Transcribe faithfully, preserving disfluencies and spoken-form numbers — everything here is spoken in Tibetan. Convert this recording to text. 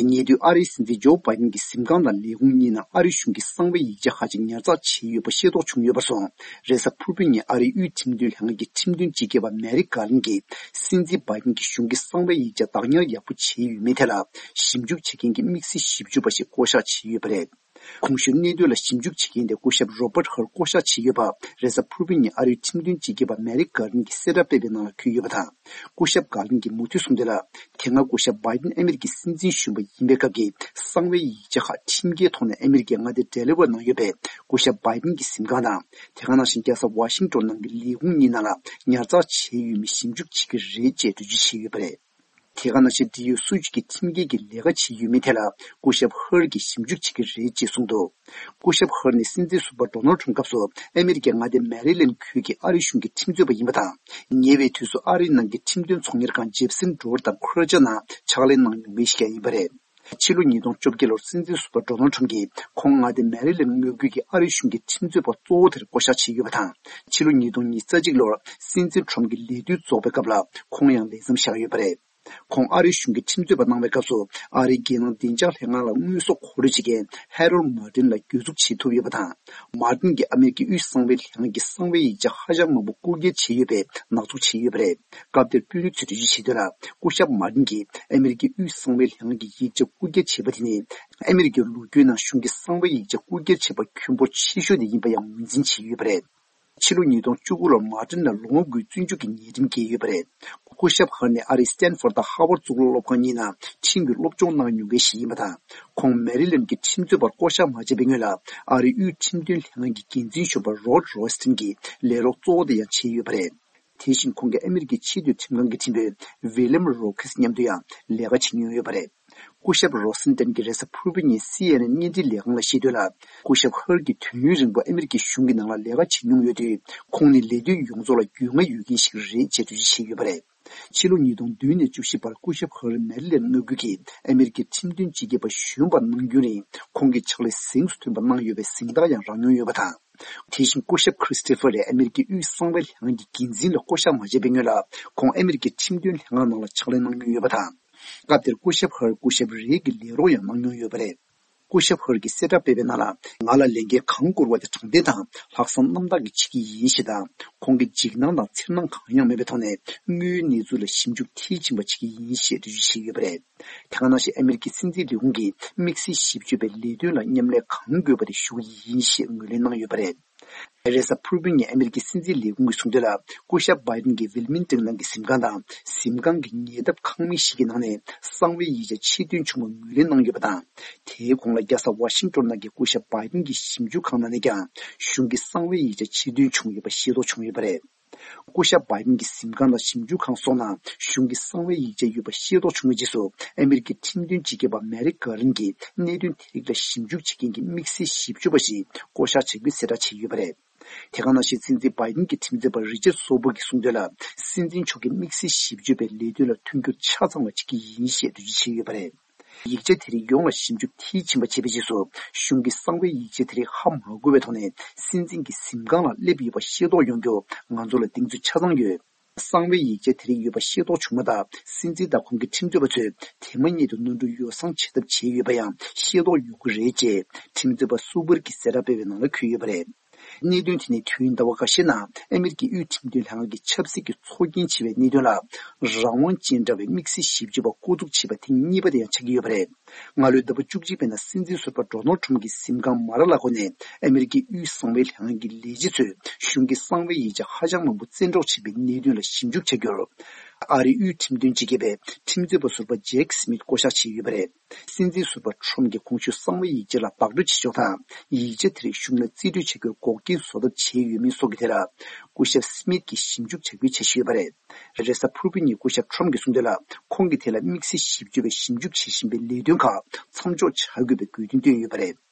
ཉེ་དུས་ཨ་རིའི་སྲིད་འཛིན་ཇོ་བྷའི་ཌེན་གྱི་གཟིམ་ཁང་དང་ལས་ཁུངས་གཉིས་ནང་ཨ་རི་གཞུང་གི་གསང་བའི་ཡིག་ཆ་ཁག་ཅིག་ཉར་ཚགས་བྱས་ཡོད་པ་ཤེས་རྟོགས་བྱུང་ཡོད་པར་སོང་། རེས་གཟའ་ཕུར་བུའི་ཉིན་ཨ་རིའི་དབུས་ཁྲིམས་དོན་ལྷན་ཁང་གི་ཁྲིམས་དོན་སྤྱི་ཁྱབ་པ་མེ་རིག་གྷར་ལིན་གྱིས་སྲིད་འཛིན་བྷའི་ཌེན་གྱིས་གཞུང་གི་གསང་བའི་ཡིག་ཆ་བདག་ཉར་ཡག་པོ་བྱས་ཡོད་མེད་ཐད་ལ་ཞིབ་འཇུག་བྱེད་མཁན་གྱི་དམིགས་བསལ་ཞིབ་འཇུག་པ་ཞིག་བསྐོ་གཞག་བྱས་ཡོད་པ་རེད། གོང་ཞུས་གནད་དོན་ལ་ཞིབ་འཇུག་བྱེད་མཁན་དེ་སྐུ་ཞབས་རོ་པར་ཧར་བསྐོ་གཞག་བྱས་ཡོད་པ་རེས་གཟའ་ཕུར་བུའི་ཉིན་ཨ་རིའི་ཁྲིམས་དོན་སྤྱི་ཁྱབ་པ་མེ་རིག་གྷར་ལིན་གྱིས་གསལ་བསྒྲགས་སྤེལ་བའི་ནང་ལ་འཁོད་ཡོད་པ་དང་། སྐུ་ཞབས་གྷར་ལིན་གྱིས་མུ་མཐུད་གསུངས་དོན་ལ། དེ་སྔ་སྐུ་ཞབས་བྷའི་ཌེན་ཨ་མེ་རི་ཀའི་སྲིད་འཛིན་གཞོན་པ་ཡིན་པའི་སྐབས་ཀྱི་གསང་བའི་ཡིག་ཆ་ཁག་ཁྲིམས་འགལ་ཐོག་ནས་ཨ་མེ་རི་ཀའི་མངའ་སྡེ་ཌེ་ལི་ཝར་ནང་ཡོད་པའི་སྐུ་ཞབས་བྷའི་ཌེན་གྱི་གཟིམ་ཁང་དང་། དེ་ག་ནང་བཞིན་རྒྱལ་ས་ཝ་ཤིང་ཊོན་ནང་གི་ལས་ཁུངས་གཉིས་ནང་ལ་ཉར་ཚགས་བྱས་ཡོད་མེད་ཞིབ་འཇུག་བྱེད་ཀྱི་རེད་ཅེས་འགྲེལ་བརྗོད་བྱས་ཡོད་པ་རེད། དེ་ག་ནང་བཞིན་འབྲེལ་ཡོད་སུ་ཞིག་གིས་ཁྲིམས་འགལ་གྱི་ལས་ཀ་བྱས་ཡོད་མེད་ཐད་ལ་སྐུ་ཞབས་ཧར་གྱིས་ཞིབ་འཇུག་བྱེད་ཀྱི་རེད་ཅེས་གསུངས་འདུག་སྐུ་ཞབས་ཧར་ནི་སྲིད་འཛིན་ཟུར་པ་ཌོ་ནལ་ཁྲམ་སྐབས་སུ་ཨ་མེ་རི་ཀའི་མངའ་སྡེ་མེ་རི་ལེན་ཁུལ་གྱི་ཨ་རི་གཞུང་གི་ཁྲིམས་རྩོད་པ་ཡིན་པ་དང་། ཉེ་བའི་དུས་སུ་ཨ་རིའི་ནང་གི་ཁྲིམས་དོན་ཚོང་གཉེར་ཁང་ཇེབ་སན་ཌོར་དང་ཁུ་ར་ཅ་ནང་ཕྱག་ལས་གནང་མྱོང་མཁན་ཞིག་ཀྱང་ཡིན་པ་རེད། ཕྱི་ལོ་ཉིས་སྟོང་བཅོ་བརྒྱད་ལོར་སྲིད་འཛིན་ཟུར་པ་ཌོ་ནལ་ཁྲམ་གྱིས་ཁོང་མངའ་སྡེ་མེ་རི་ལེན་མངའ་ཁུལ་གྱི་ཨ་རི་གཞུང་གི་ཁྲིམས་རྩོད་པ་གཙོ་བོ་དེར་བསྐོ་གཞག་བྱས་ཡོད་པ་དང་། ཕྱི་ལོ་ཉིས་སྟོང་ཉེར་གཅིག་ལོར་སྲིད་འཛིན་ཁྲམ་གྱི་ལས་དུས་རྫོགས་པའི་སྐབས་ལ་ཁོང་ཡང་ལས་མཚམས་བཞག་ཡོད་པ་རེད། ཁོང་ཨ་རིའི་གཞུང་གི་ཁྲིམས་རྩོད་པ་གནང་བའི་སྐབས་སུ་ཨ་རིའི་རྒྱལ་ནང་བདེ་འཇགས་ལྷན་ཁང་ལ་དངོས་ཟོག་མཁོ་སྤྲོད་བྱེད་མཁན་ཧེ་རོལ་མར་ཏིན་ལ་གྱོད་འཛུགས་བྱེད་ཐུབ་ཡོད་པ་དང་། མར་ཏིན་གྱིས་ཨ་མེ་རི་ཀའི་དབུས་གསང་བའི་ལྷན་ཁང་གི་གསང་བའི་ཡིག་ཆ་ཧ་ཅང་མང་པོ་རྐུ་འཁྱེར་བྱས་ཡོད་པའི་ནག་འཛུགས་བྱས་ཡོད་པ་རེད། སྐབས་དེར་དཔོན་རིགས་ཚོས་འགྲེལ་བརྗོད་བྱས་དོན་ལ། སྐུ་ཞབས་མར་ཏིན་གྱིས་ཨ་མེ་རི་ཀའི་དབུས་གསང་བའི་ལྷན་ཁང་གི་ཡིག་ཆ་རྐུ་འཁྱེར་བྱས་པ་དེ་ནི་ཨ་མེ་རི་ཀའི་ལོ་རྒྱུས་ནང་གཞུང་གི་གསང་བའི་ཡིག་ཆ་རྐུ་འཁྱེར་བྱས་པ་ཁྱོན་འབོར་ཆེ་ཤོས་དེ་ཡིན་པ་ཡང་ངོས་འཛིན་བྱས་ཡོད་པ་རེད། ཕྱི་ལོ་ཉིས་སྟོང་བཅུ་དགུ་ལོར་མར་ཏིན་ལ་ལོ་ངོ་དགུའི་བཙོན་འཇུག་གི་ཉེས་ཁྲིམས་འགེལ་ཡོད་པ་རེད། སྐུ་ཞབས་ཧར་ནི་ཨ་རིའི་སི་ཏན་ཧྥོར་དང་ཧ་ཝར་གཙུག་ལག་སློབ་ཁང་གཉིས་ནང་ཁྲིམས་ཀྱི་སློབ་སྦྱོང་གནང་མྱོང་མཁན་ཞིག་ཡིན་པ་དང་། ཁོང་མེ་རི་ལེན་གྱི་ཁྲིམས་རྩོད་པར་བསྐོ་གཞག་མ་བྱས་པའི་སྔོན་ལ་ཨ་རིའི་དབུས་ཁྲིམས་དོན་ལྷན་ཁང་གི་འགན་འཛིན་གཞོན་པ་རོཌ་རོ་སི་ཏིན་གྱི་ལས་རོགས་གཙོ་བོ་དེ་ཡང་བྱས་ཡོད་པ་རེད། དེ་བཞིན་ཁོང་གིས་ཨ་མེ་རི་ཀའི་ཆེས་མཐོའི་ཁྲིམས་ཁང་གི་ཁྲིམས་དཔོན་ཝི་ལེམ་རོ་ཁེས་མཉམ་དུ་ཡང་ལས་ཀ་བྱེད་མྱོང་ཡོད་པ་རེད། སྐུ་ཞབས་རོ་སན་ཏན་གྱིས་རེས་གཟའ་ཕུར་བུ་ཉིན་སི་ཨེན་ཨེན་བརྙན་འཕྲིན་ལས་ཁང་ལ་བཤད་དོན་ལ། སྐུ་ཞབས་ཧར་གྱིས་དུས་ཡུན་རིང་པོ་ཨ་མེ་རི་ཀའི་གཞུང་གི་ནང་ལ་ལས་ཀ་བྱེད་མྱོང་ཡོད་དུས། ཁོང་ནི་ལས་དོན་ཡོངས་རྫོགས་ལ་རྒྱུས་མངའ་ཡོད་མཁན་ཞིག་རེད་ཅེས་འགྲེལ་བརྗོད་བྱས་ཡོད་པ་རེད། ཕྱི་ལོ་ཉིས་སྟོང་བདུན་ནས་བཅུ་བཞི་བར་སྐུ་ཞབས་ཧར་མེ་རི་ལེན་མངའ་ཁུལ་གྱི་ཨ་མེ་རི་ཀའི་ཁྲིམས་དོན་སྤྱི་ཁྱབ་པ་གཞོན་པ་གནང་རྒྱུན་རིང་ཁོང་གིས་ཕྱག་ལས་གཟེངས་སུ་ཐོན་པ་གནང་ཡོད་པའི་གཟེངས་རྟགས་ཡང་རག་མྱོང་ཡོད་པ་དང་། དེ་བཞིན་སྐུ་ཞབས་ཁྲི་སི་ཏི་ཕར་རེ་ཨ་མེ་རི་ཀའི་དབུས་གསང་བའི་ལྷན་ཁང་གི་འགན་འཛིན་ལ་བསྐོ་གཞག་མ་བྱས་པའི་སྔོན་ལ་ཁོང་ཨ་མེ་རི་ཀའི་ཁྲིམས་དོན་ལྷན་ཁང་ནང་ལ་ཕྱག་ལས་གནང་མྱོང་ཡོད་པ་དང་། སྐབས་དེར་སྐུ་ཞབས་ཧར་སྐུ་ཞབས་རེ་གི་ལས་རོགས་ཡང་གནང་མྱོང་ཡོད་པ་རེད། སྐུ་ཞབས་ཧར་གྱིས་གསལ་བསྒྲགས་སྤེལ་བའི་ནང་ལ། ང་ལ་ལས་འགན་གང་བསྐུར་བ་དེ་དྲང་བདེན་དང་ལྷག་བསམ་རྣམ་དག་གིས་བྱེད་ཀྱི་ཡིན་ཞེས་དང་། ཁོང་གིས་འཇིགས་སྣང་དང་འཚེར་སྣང་གང་ཡང་མེད་པའི་ཐོག་ནས་དངོས་ཡོད་གནས་ཚུལ་ལ་ཞིབ་འཇུག་མཐིལ་ཕྱིན་པ་བྱེད་ཀྱི་ཡིན་ཞེས་འགྲེལ་བརྗོད་བྱས་ཡོད་པ་རེད། དེ་ག་ནང་བཞིན་ཨ་མེ་རི་ཀའི་སྲིད་འཛིན་ལས་ཁུངས་ཀྱིས་དམིགས་བསལ་ཞིབ་དཔྱོད་པའི་ལས་དོན་ལ་མཉམ་ལས་གང་དགོས་པ་དེ་ཞུ་གི་ཡིན་ཞེས་ངོས་ལེན་གནང་ཡོད་པ་རེད། རེས་གཟའ་ཕུར་བུའི་ཉིན་ཨ་མེ་རི་ཀའི་སྲིད་འཛིན་ལས་ཁུངས་ཀྱིས་གསུངས་དོན་ལ། སྐུ་ཞབས་བྷའི་ཌེན་གྱིས་ཝིལ་མིང་ཏོན་ནང་གི་གཟིམ་ཁང་དང་གཟིམ་ཁང་གི་ཉེ་འདབས་ཁང་མིག་ཞིག་གི་ནང་ནས་གསང་བའི་ཡིག་ཆ་ཕྱིར་འདོན་བྱུང་བ་ངོས་ལེན་གནང་ཡོད་པ་དང་། དེའི་གོང་ལ་རྒྱལ་ས་ཝ་ཤིང་ཏོན་ནང་གི་སྐུ་ཞབས་བྷའི་ཌེན་གྱི་ཞིབ་འཇུག་ཁང་ནང་ནས་ཀྱང་གཞུང་གི་གསང་བའི་ཡིག་ཆ་ཕྱིར་འདོན་བྱུང་ཡོད་པ་ཤེས་རྟོགས་བྱུང་ཡོད་པ་རེད། སྐུ་ཞབས་བྷའི་ཌེན་གྱི་གཟིམ་ཁང་དང་ཞིབ་འཇུག་ཁང་སོགས་ནང་གཞུང་གི་གསང་བའི་ཡིག་ཆ་ཡོད་པ་ཤེས་རྟོགས་བྱུང་བའི་རྗེས་སུ། ཨ་མེ་རི་ཀའི་ཁྲིམས་དོན་སྤྱི་ཁྱབ་པ་མེ་རིག་གྷར་ལིན་གྱིས་གནད་དོན་དེ་རིགས་ལ་ཞིབ་འཇུག་བྱེད་མཁན་གྱི་དམིགས་བསལ་ཞིབ་དཔྱོད་པ་ཞིག་བསྐོ་གཞག་བྱ་རྒྱུའི་གསལ་བསྒྲགས་བྱས་ཡོད་པ་རེད། དེ་ག་ནང་བཞིན་སྲིད་འཛིན་བྷའི་ཌེན་གྱི་ཁྲིམས་རྩོད་པ་རི་ཅར་སོ་བུག་གིས་གསུངས་དོན་ལ། སྲིད་འཛིན་མཆོག་གིས་དམིགས་བསལ་ཞིབ་དཔྱོད་པའི་ལས་དོན་ལ་མཐུན་འགྱུར་ཆ་ཚང་བ་བྱེད་ཀྱི་ཡིན་ཞེས་འགྲེལ་བརྗོད་བྱས་ཡོད་པ་རེད། ཡིག་ཆ་དེ་རིགས་ཡོངས་ལ་ཞིབ་འཇུག་མཐིལ་ཕྱིན་པ་བྱས་པའི་རྗེས་སུ། གཞུང་གི་གསང་བའི་ཡིག་ཆ་དེ་རིགས་ཧ་མ་གོ་བའི་ཐོག་ནས་སྲིད་འཛིན་གྱི་གཟིམ་ཁང་ལ་སླེབས་ཡོད་པ་ཤེས་རྟོགས་ཡོང་རྒྱུར་ང་ཚོ་ལ་གདེང་ཚོད་ཆ་ཚང་ཡོད། གསང་བའི་ཡིག་ཆ་དེ་རིགས་ཡོད་པ་ཤེས་རྟོགས་བྱུང་མ་ཐག་སྲིད་འཛིན་དང་ཁོང་གི་ཁྲིམས་རྩོད་པ་ཚོས་དེ་མ་ཉིད་དུ་ནོར་འཁྲུལ་ཡོ་བསྲང་བྱེད་ཐབས་བྱས་ཡོད་པ་ཡང་ཤེས་རྟོགས་ཡོང་གི་རེད་ཅེས་ཁྲིམས་རྩོད་པ་སུ་བུར་གྱིས་གསལ་བསྒྲགས་སྤེལ་བའི་ནང་ལ་འཁོད་ཡོད་པ་རེད། གནད་དོན་དེ་ནི་དུས་ཡུན་ཟླ་བ་འགའ་ཤས་ནང་ཨ་མེ་རི་ཀའི་དབུས་ཁྲིམས་དོན་ལྷན་ཁང་གིས་ཆབ་སྲིད་ཀྱི་ཚོགས་རྒྱན་བྱས་པའི་གནད་དོན་ལ་རང་དབང་ཅན་འདྲ་བའི་དམིགས་བསལ་ཞིབ་དཔྱོད་པ་བསྐོ་འཛུགས་བྱས་པ་ཐེངས་གཉིས་པ་དེ་ཡང་ཆགས་ཀྱི་ཡོད་པ་རེད། སྔ་ལོའི་ཟླ་བ་བཅུ་གཅིག་པའི་ནང་སྲིད་འཛིན་ཟུར་པ་ཌོ་ནལ་ཁྲམ་གྱི་གཟིམ་ཁང་མ་ར་ལ་གོ་ནས་ཨ་མེ་རི་ཀའི་དབུས་གསང་བའི་ལྷན་ཁང་གི་ལས་བྱེད་ཚོས་གཞུང་གི་གསང་བའི་ཡིག་ཆ་ཧ་ཅང་མང་པོ་བཙན་འཕྲོག་བྱས་པའི་གནད་དོན་ལ་ཞིབ་འཇུག་བྱ་རྒྱུར། ཨ་རིའི་དབུས་ཁྲིམས་དོན་སྤྱི་ཁྱབ་པས་ཁྲིམས་རྩོད་པ་ཟུར་པ་ཇེག་སི་མིད་བསྐོ་གཞག་བྱས་ཡོད་པ་རེད། སྲིད་འཛིན་ཟུར་པ་ཁྲོམ་གྱིས་གོང་ཞུས་གསང་བའི་ཡིག་ཆ་ལ་བདག་སྤྲོད་བྱེད་ཕྱོགས་དང་། ཡིག་ཆ་དེ་རིགས་གཞུང་ལ་རྩིས་སྤྲོད་བྱ་རྒྱུར་འགོག་རྐྱེན་བཟོ་ཐབས་བྱས་ཡོད་མེད་སོགས་ཀྱི་ཐད་ལ། སྐུ་ཞབས་སི་མིད་ཀྱིས་ཞིབ་འཇུག་བྱ་རྒྱུའི་འཆར་གཞི་ཡོད་པ་རེད། རེས་གཟའ་ཕུར་བུ་ཉིན་སྐུ་ཞབས་ཁྲོམ་གྱིས་གསུངས་དོན་ལ། ཁོང་གིས་དེ་ལ་དམིགས་བསལ་ཞིབ་དཔྱོད་པས་ཞིབ་འཇུག་བྱེད་བཞིན་པའི་ལས་དོན་ཁག་མཚམས་འཇོག་བྱ་དགོས་པའི་དགོས་འདུན་བཏོན་ཡོད་པ་རེད།